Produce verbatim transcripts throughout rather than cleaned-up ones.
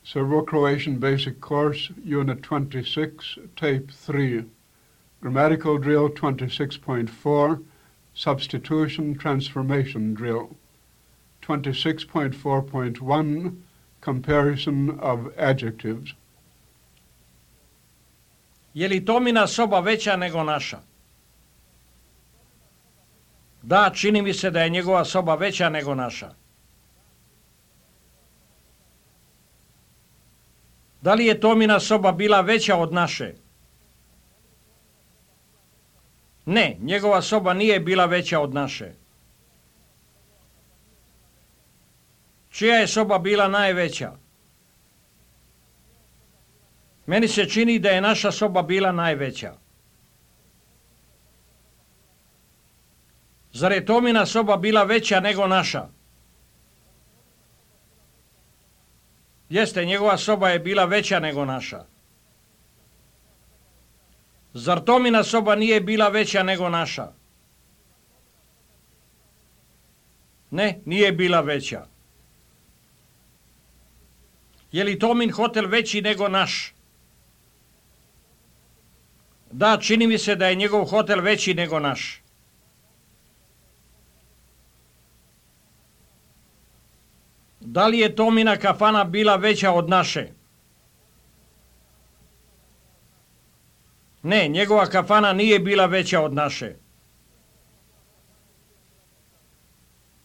Serbo-Croatian Basic Course, Unit twenty-six, Tape three. Grammatical Drill twenty-six point four, Substitution Transformation Drill. twenty-six point four point one, Comparison of Adjectives. Je li Tomina soba veća nego naša? Da, čini mi se da je njegova soba veća nego naša. Da li je Tomina soba bila veća od naše? Ne, njegova soba nije bila veća od naše. Čija je soba bila najveća? Meni se čini da je naša soba bila najveća. Zar je Tomina soba bila veća nego naša? Jeste, njegova soba je bila veća nego naša. Zar Tomina soba nije bila veća nego naša? Ne, nije bila veća. Je li Tomin hotel veći nego naš? Da, čini mi se da je njegov hotel veći nego naš. Da li je Tomina kafana bila veća od naše? Ne, njegova kafana nije bila veća od naše.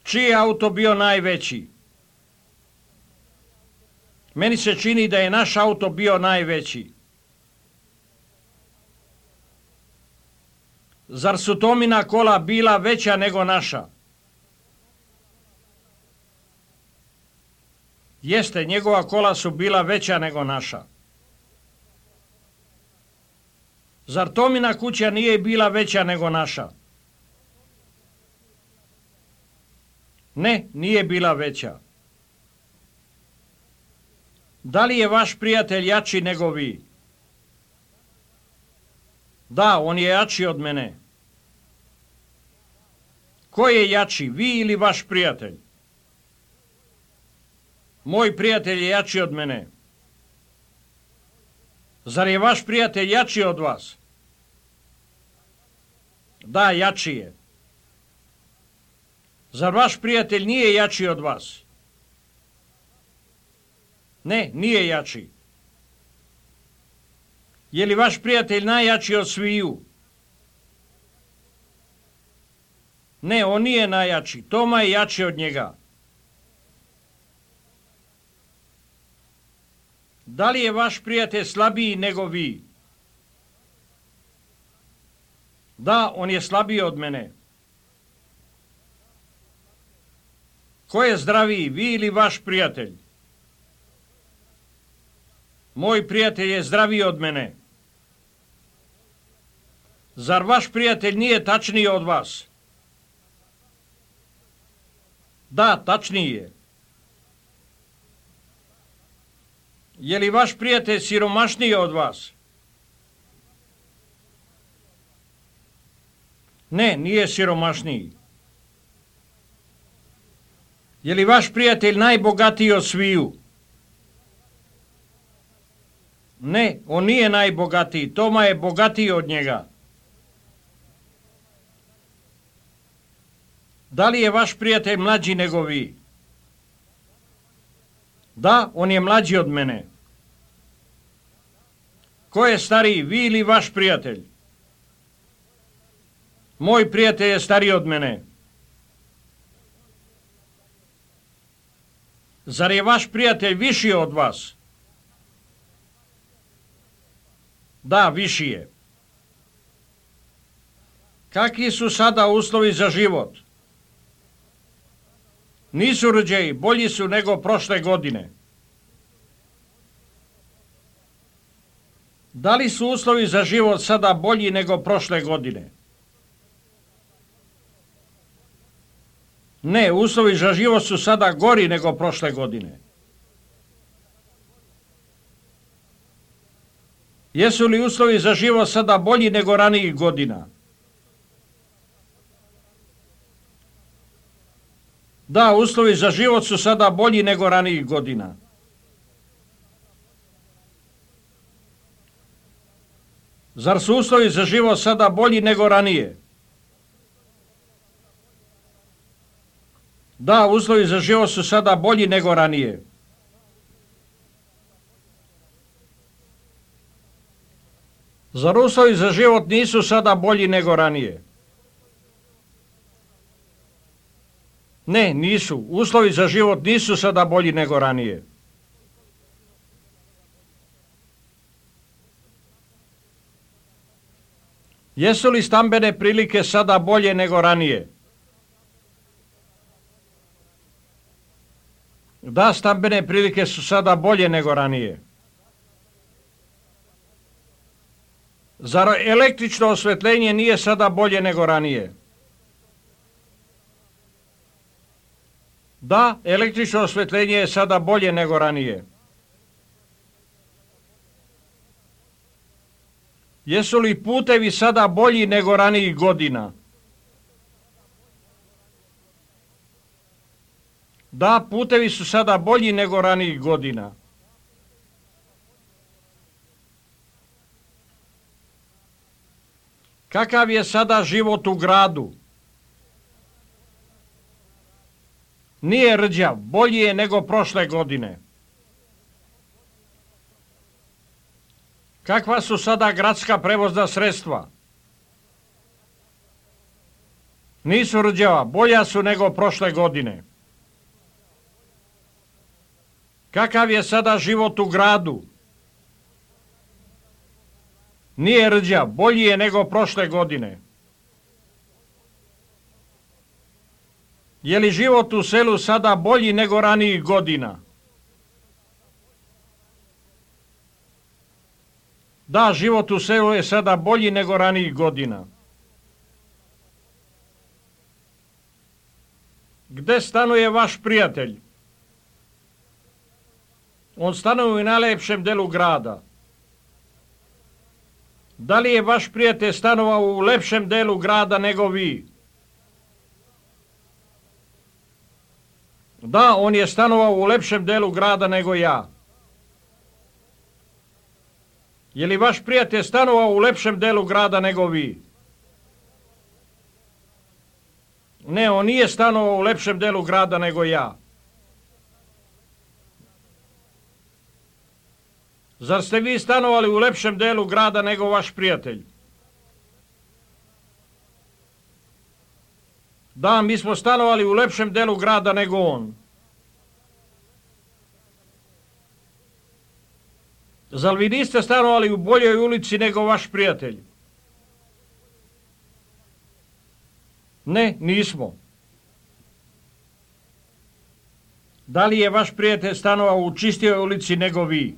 Čiji je auto bio najveći? Meni se čini da je naš auto bio najveći. Zar su Tomina kola bila veća nego naša? Jeste, njegova kola su bila veća nego naša. Zar Tomina kuća nije bila veća nego naša? Ne, nije bila veća. Da li je vaš prijatelj jači nego vi? Da, on je jači od mene. Ko je jači, vi ili vaš prijatelj? Moj prijatelj je jači od mene. Zar je vaš prijatelj jači od vas? Da, jači je. Zar vaš prijatelj nije jači od vas? Ne, nije jači. Je li vaš prijatelj najjači od sviju? Ne, on nije najjači. Toma je jači od njega. Da li je vaš prijatelj slabiji nego vi? Da, on je slabiji od mene. Ko je zdraviji, vi ili vaš prijatelj? Moj prijatelj je zdraviji od mene. Zar vaš prijatelj nije tačniji od vas? Da, tačniji je. Je li vaš prijatelj siromašniji od vas? Ne, nije siromašniji. Je li vaš prijatelj najbogatiji od sviju? Ne, on nije najbogatiji. Toma je bogatiji od njega. Da li je vaš prijatelj mlađi nego vi? Da, on je mlađi od mene. Ko je stariji, vi ili vaš prijatelj? Moj prijatelj je stariji od mene. Zar je vaš prijatelj viši od vas? Da, viši je. Kakvi su sada uslovi za život? Nisu rđeji, bolji su nego prošle godine. Da li su uslovi za život sada bolji nego prošle godine? Ne, uslovi za život su sada gori nego prošle godine. Jesu li uslovi za život sada bolji nego ranijih godina? Da, uslovi za život su sada bolji nego ranijih godina. Zar su uslovi za život sada bolji nego ranije? Da, uslovi za život su sada bolji nego ranije. Zar uslovi za život nisu sada bolji nego ranije? Ne, nisu. Uslovi za život nisu sada bolji nego ranije. Jesu li stambene prilike sada bolje nego ranije? Da, stambene prilike su sada bolje nego ranije. Zar električno osvetljenje nije sada bolje nego ranije? Da, električno osvetljenje je sada bolje nego ranije. Jesu li putevi sada bolji nego ranijih godina? Da, putevi su sada bolji nego ranijih godina. Kakav je sada život u gradu? Nije rđav, bolji je nego prošle godine. Kakva su sada gradska prevozna sredstva? Nisu rđava, bolja su nego prošle godine. Kakav je sada život u gradu? Nije rđav, bolji je nego prošle godine. Je li život u selu sada bolji nego ranijih godina? Da, život u selu je sada bolji nego ranijih godina. Gde stanuje vaš prijatelj? On stanuje u najlepšem delu grada. Da li je vaš prijatelj stanovao u lepšem delu grada nego vi? Da, on je stanovao u lepšem delu grada nego ja. Je li vaš prijatelj stanovao u lepšem delu grada nego vi? Ne, on nije stanovao u lepšem delu grada nego ja. Zar ste vi stanovali u lepšem delu grada nego vaš prijatelj? Da, mi smo stanovali u lepšem delu grada nego on. Zar vi niste stanovali u boljoj ulici nego vaš prijatelj? Ne, nismo. Da li je vaš prijatelj stanovao u čistijoj ulici nego vi?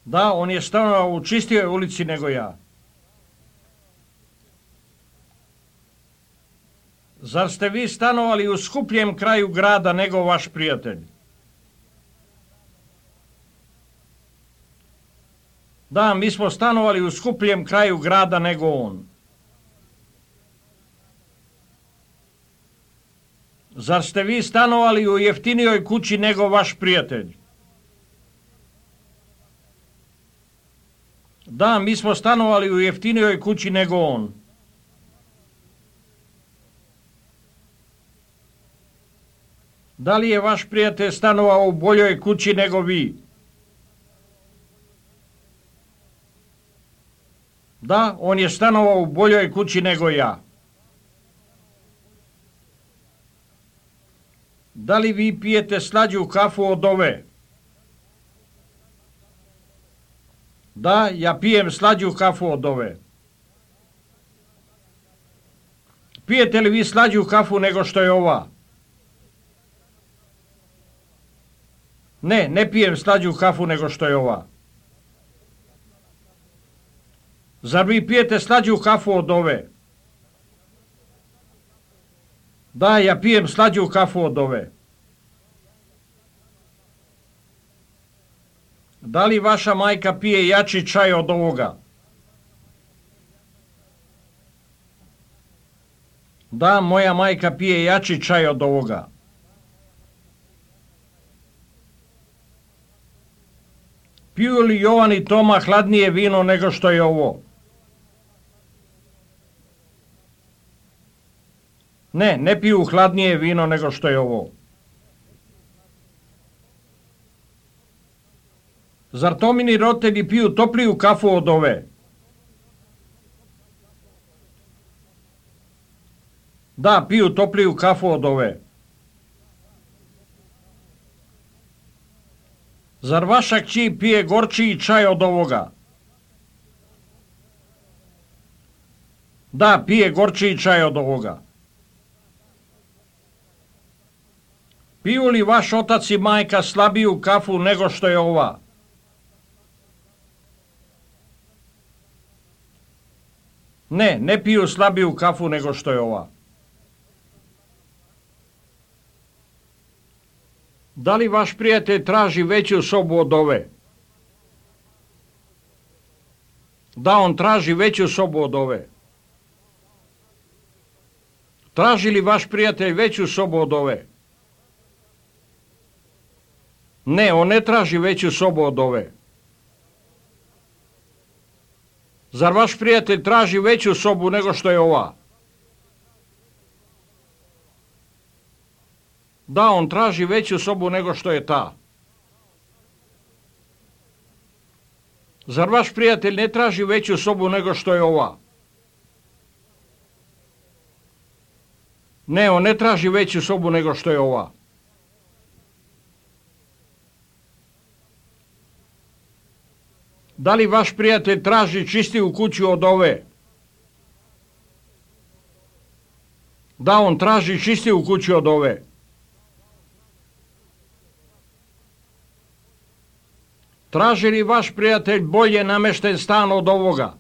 Da, on je stanovao u čistijoj ulici nego ja. Zar ste vi stanovali u skupljem kraju grada nego vaš prijatelj? Da, mi smo stanovali u skupljem kraju grada nego on. Zar ste vi stanovali u jeftinijoj kući nego vaš prijatelj? Da, mi smo stanovali u jeftinijoj kući nego on. Da li je vaš prijatelj stanovao u boljoj kući nego vi? Da, on je stanovao u boljoj kući nego ja. Da li vi pijete slađu kafu od ove? Da, ja pijem slađu kafu od ove. Pijete li vi slađu kafu nego što je ova? Ne, ne pijem slađu kafu nego što je ova. Zar vi pijete slađu kafu od ove? Da, ja pijem slađu kafu od ove. Da li vaša majka pije jači čaj od ovoga? Da, moja majka pije jači čaj od ovoga. Piju li Jovan i Toma hladnije vino nego što je ovo? Ne, ne piju hladnije vino nego što je ovo. Zar Tomini roditelji piju topliju kafu od ove? Da, piju topliju kafu od ove. Zar vaša kći pije gorčiji čaj od ovoga? Da, pije gorčiji čaj od ovoga. Piju li vaš otac i majka slabiju kafu nego što je ova? Ne, ne piju slabiju kafu nego što je ova. Da li vaš prijatelj traži veću sobu od ove? Da, on traži veću sobu od ove. Traži li vaš prijatelj veću sobu od ove? Ne, on ne traži veću sobu od ove. Zar vaš prijatelj traži veću sobu nego što je ova? Da, on traži veću sobu nego što je ta. Zar vaš prijatelj ne traži veću sobu nego što je ova? Ne, on ne traži veću sobu nego što je ova. Da li vaš prijatelj traži čistiju kuću od ove? Da, on traži čistiju kuću od ove. Traži li vaš prijatelj bolje namešten stan od ovoga?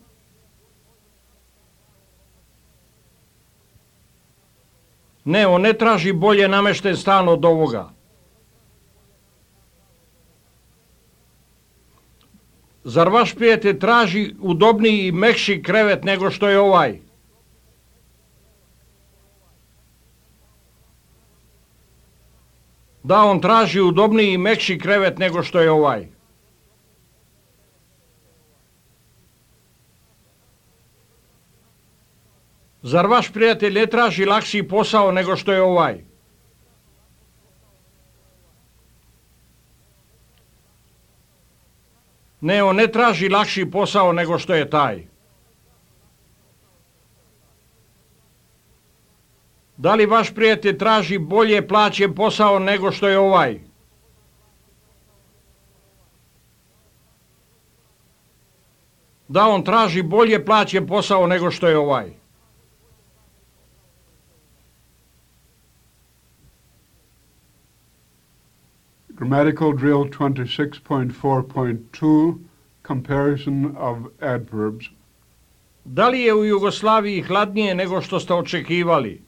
Ne, on ne traži bolje namešten stan od ovoga. Zar vaš prijatelj traži udobniji i mekši krevet nego što je ovaj? Da, on traži udobniji i mekši krevet nego što je ovaj. Zar vaš prijatelj ne traži lakši posao nego što je ovaj? Ne, on ne traži lakši posao nego što je taj. Da li vaš prijatelj traži bolje plaćen posao nego što je ovaj? Da, on traži bolje plaćen posao nego što je ovaj. Grammatical drill twenty-six point four point two, comparison of adverbs. Da li je u Jugoslaviji hladnije nego što ste očekivali?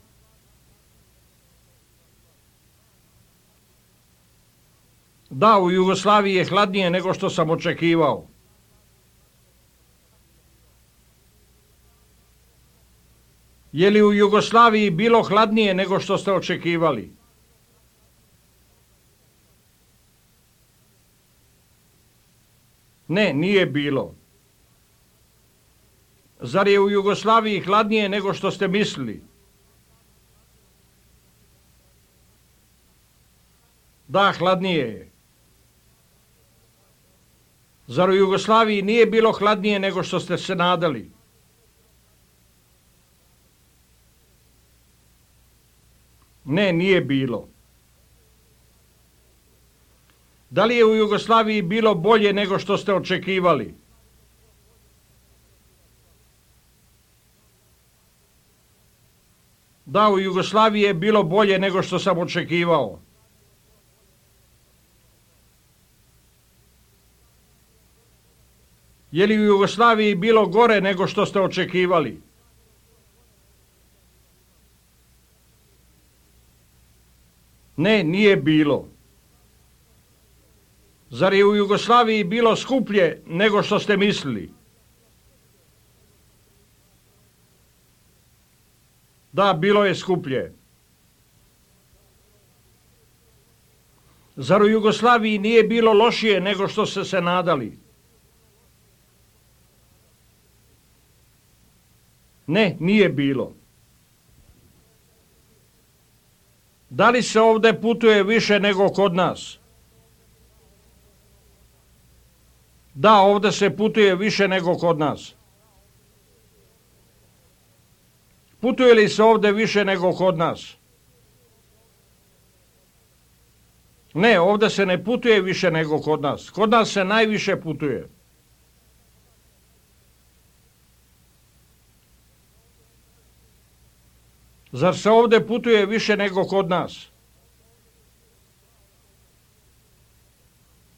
Da, u Jugoslaviji je hladnije nego što sam očekivao. Je li u Jugoslaviji bilo hladnije nego što ste očekivali? Ne, nije bilo. Zar je u Jugoslaviji hladnije nego što ste mislili? Da, hladnije je. Zar u Jugoslaviji nije bilo hladnije nego što ste se nadali? Ne, nije bilo. Da li je u Jugoslaviji bilo bolje nego što ste očekivali? Da, u Jugoslaviji je bilo bolje nego što sam očekivao. Je li u Jugoslaviji bilo gore nego što ste očekivali? Ne, nije bilo. Zar je u Jugoslaviji bilo skuplje nego što ste mislili? Da, bilo je skuplje. Zar u Jugoslaviji nije bilo lošije nego što ste se nadali? Ne, nije bilo. Da li se ovdje putuje više nego kod nas? Da, ovdje se putuje više nego kod nas. Putuje li se ovdje više nego kod nas? Ne, ovdje se ne putuje više nego kod nas. Kod nas se najviše putuje. Zar se ovdje putuje više nego kod nas?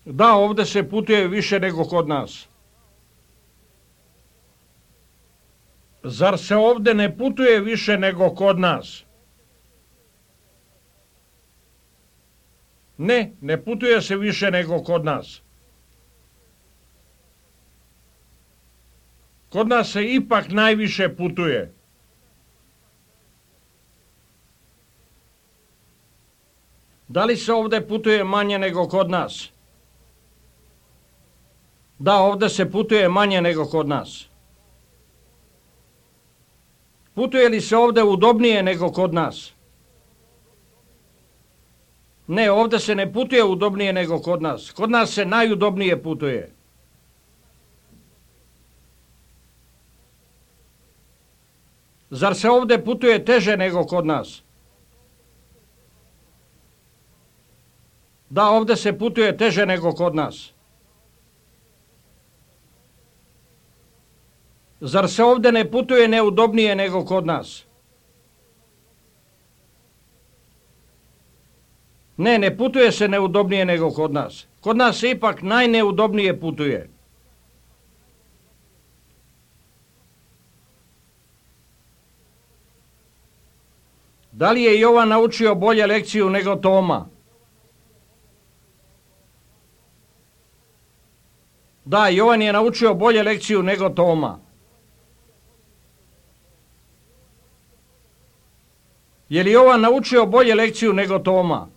Da, ovdje se putuje više nego kod nas. Zar se ovdje ne putuje više nego kod nas? Ne, ne putuje se više nego kod nas. Kod nas se ipak najviše putuje. Da li se ovdje putuje manje nego kod nas? Da, ovdje se putuje manje nego kod nas. Putuje li se ovdje udobnije nego kod nas? Ne, ovdje se ne putuje udobnije nego kod nas. Kod nas se najudobnije putuje. Zar se ovdje putuje teže nego kod nas? Da, ovdje se putuje teže nego kod nas. Zar se ovdje ne putuje neudobnije nego kod nas? Ne, ne putuje se neudobnije nego kod nas. Kod nas se ipak najneudobnije putuje. Da li je Jovan naučio bolje lekciju nego Toma? Da, Jovan je naučio bolje lekciju nego Toma. Je li Jovan naučio bolje lekciju nego Toma?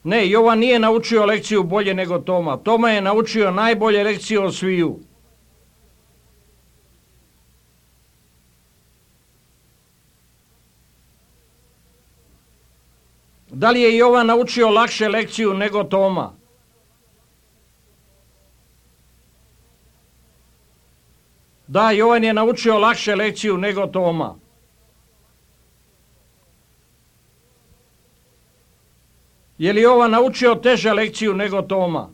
Ne, Jovan nije naučio lekciju bolje nego Toma. Toma je naučio najbolje lekciju od sviju. Da li je Jovan naučio lakše lekciju nego Toma? Da, Jovan je naučio lakše lekciju nego Toma. Je li Jovan naučio teže lekciju nego Toma?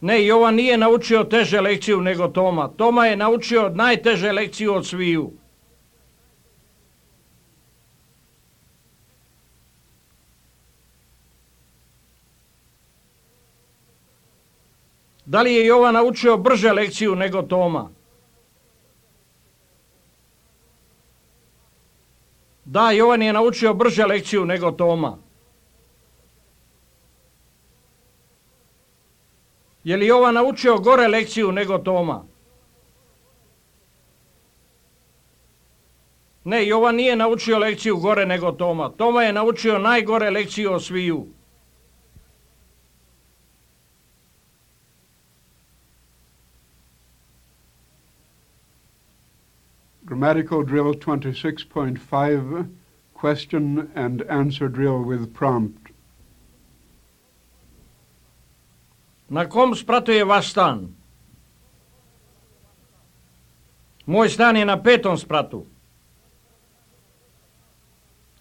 Ne, Jovan nije naučio teže lekciju nego Toma. Toma je naučio najteže lekciju od sviju. Da li je Jovan naučio brže lekciju nego Toma? Da, Jovan je naučio brže lekciju nego Toma. Je li Jovan naučio gore lekciju nego Toma? Ne, Jovan nije naučio lekciju gore nego Toma. Toma je naučio najgore lekciju od sviju. Grammatical drill twenty-six point five, question and answer drill with prompt. Na kom spratu je vaš stan? Moj stan je na petom spratu.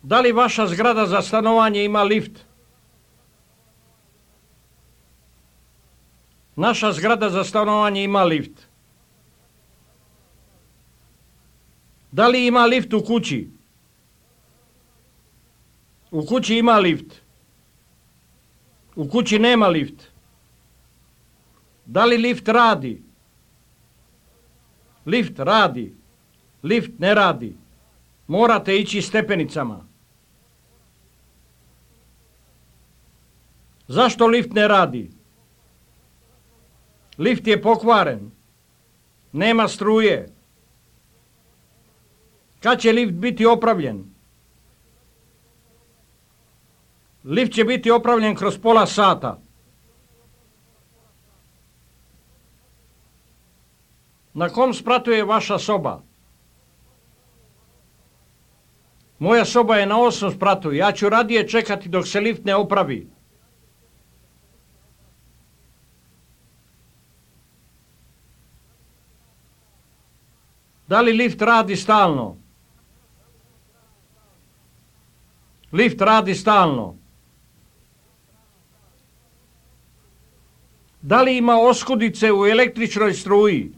Da li vaša zgrada za stanovanje ima lift? Naša zgrada za stanovanje ima lift. Da li ima lift u kući? U kući ima lift. U kući nema lift. Da li lift radi? Lift radi. Lift ne radi. Morate ići stepenicama. Zašto lift ne radi? Lift je pokvaren. Nema struje. Kad će lift biti opravljen? Lift će biti opravljen kroz pola sata. Na kom spratu je vaša soba? Moja soba je na osmom spratu. Ja ću radije čekati dok se lift ne opravi. Da li lift radi stalno? Lift radi stalno. Da li ima oskudice u električnoj struji?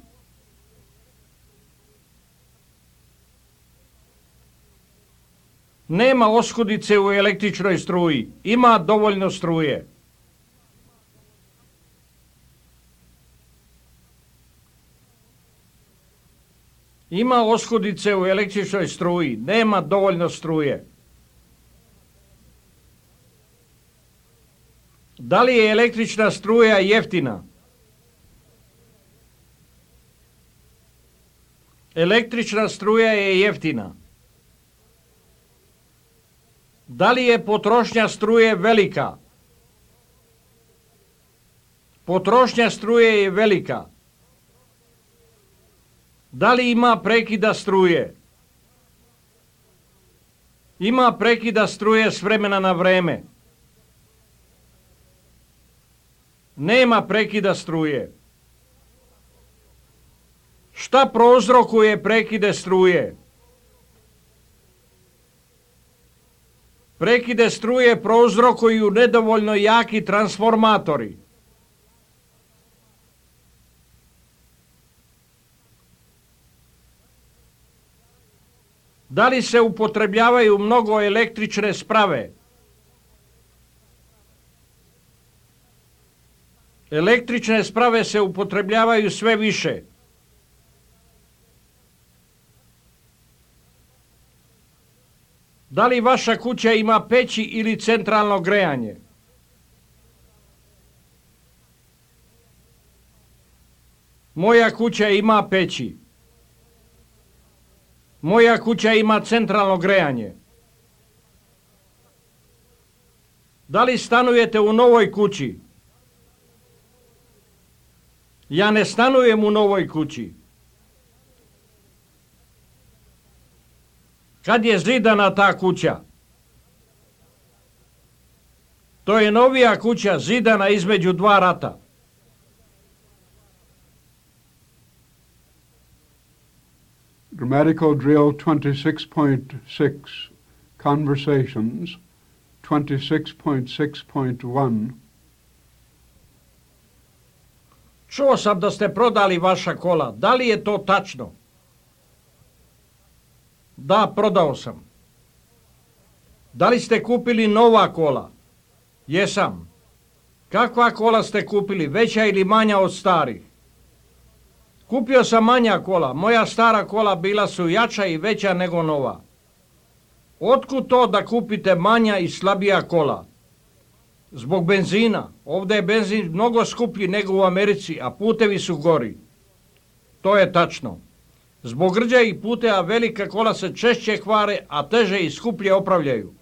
Nema oskudice u električnoj struji. Ima dovoljno struje. Ima oskudice u električnoj struji. Nema dovoljno struje. Da li je električna struja jeftina? Električna struja je jeftina. Da li je potrošnja struje velika? Potrošnja struje je velika. Da li ima prekida struje? Ima prekida struje s vremena na vreme. Nema prekida struje. Šta prouzrokuje prekide struje? Prekide struje prouzrokuju nedovoljno jaki transformatori. Da li se upotrebljavaju mnogo električne sprave? Električne sprave se upotrebljavaju sve više. Da li vaša kuća ima peći ili centralno grejanje? Moja kuća ima peći. Moja kuća ima centralno grejanje. Da li stanujete u novoj kući? Ja ne stanujem u novoj kući. Kad je zidana ta kuća? To je novija kuća zidana između dva rata. Grammatical drill twenty-six point six, conversations, twenty-six point six point one. Čuo sam da ste prodali vaša kola. Da li je to tačno? Da, prodao sam. Da li ste kupili nova kola? Jesam. Kakva kola ste kupili, veća ili manja od starih? Kupio sam manja kola. Moja stara kola bila su jača i veća nego nova. Otkud to da kupite manja i slabija kola? Zbog benzina. Ovdje je benzin mnogo skuplji nego u Americi, a putevi su gori. To je tačno. Zbog rđavih puteva velika kola se češće kvare, a teže i skuplje opravljaju.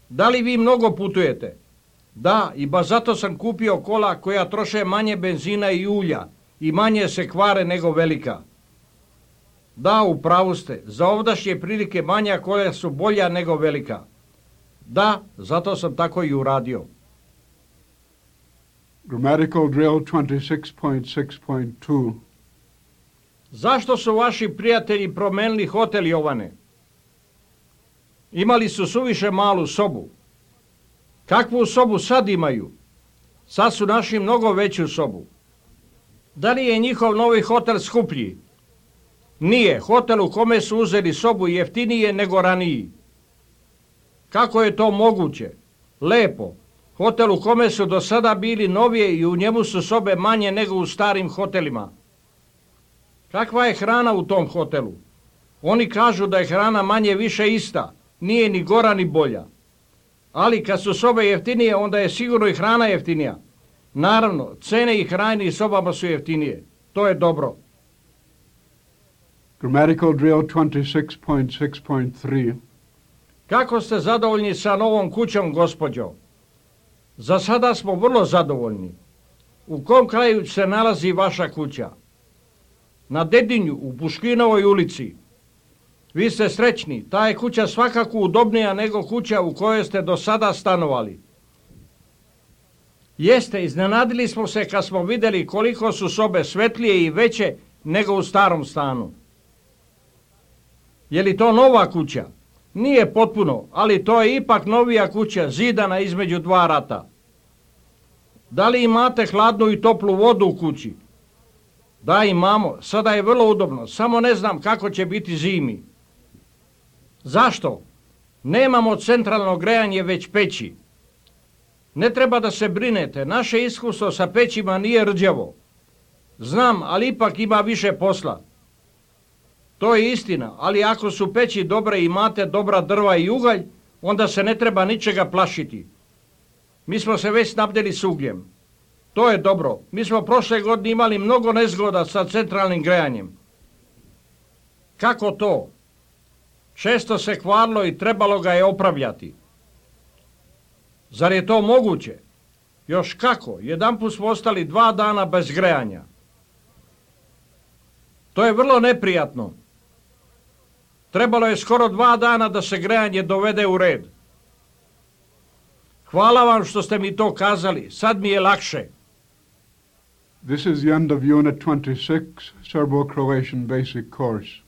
Da li vi mnogo putujete? Da, i baš zato sam kupio kola koja troše manje benzina i ulja i manje se kvare nego velika. Da, u pravu ste. Za ovdašnje prilike manja kola su bolja nego velika. Da, zato sam tako i uradio. Grammatical drill twenty-six point six point two. Zašto su vaši prijatelji promenili hotel, Jovane? Imali su suviše malu sobu. Kakvu sobu sad imaju? Sad su našli mnogo veću sobu. Da li je njihov novi hotel skuplji? Nije. Hotel u kome su uzeli sobu jeftinije nego raniji. Kako je to moguće? Lepo. Hotel u kome su do sada bili novije i u njemu su sobe manje nego u starim hotelima. Kakva je hrana u tom hotelu? Oni kažu da je hrana manje više ista. Nije ni gora ni bolja. Ali kad su sobe jeftinije, onda je sigurno i hrana jeftinija. Naravno, cene i hrane i sobama su jeftinije. To je dobro. Grammatical drill twenty-six point six point three. Kako ste zadovoljni sa novom kućom, gospođo? Za sada smo vrlo zadovoljni. U kom kraju se nalazi vaša kuća? na Dedinju u Puškinovoj ulici. Vi ste srećni, ta je kuća svakako udobnija nego kuća u kojoj ste do sada stanovali. Jeste, iznenadili smo se kad smo vidjeli koliko su sobe svetlije i veće nego u starom stanu. Je li to nova kuća? Nije potpuno, ali to je ipak novija kuća, zidana između dva rata. Da li imate hladnu i toplu vodu u kući? Da, imamo, sada je vrlo udobno, samo ne znam kako će biti zimi. Zašto? Nemamo centralno grejanje, već peći. Ne treba da se brinete, naše iskustvo sa pećima nije rđavo. Znam, ali ipak ima više posla. To je istina, ali ako su peći dobre i imate dobra drva i ugalj, onda se ne treba ničega plašiti. Mi smo se već snabdjeli s ugljem. To je dobro. Mi smo prošle godine imali mnogo nezgoda sa centralnim grejanjem. Kako to? Često se kvarilo i trebalo ga je opravljati. Zar je to moguće? Još kako? Jedanput smo ostali dva dana bez grejanja. To je vrlo neprijatno. Trebalo je skoro dva dana da se grejanje dovede u red. Hvala vam što ste mi to kazali. Sad mi je lakše. This is the end of Unit twenty-six, Serbo-Croatian Basic Course.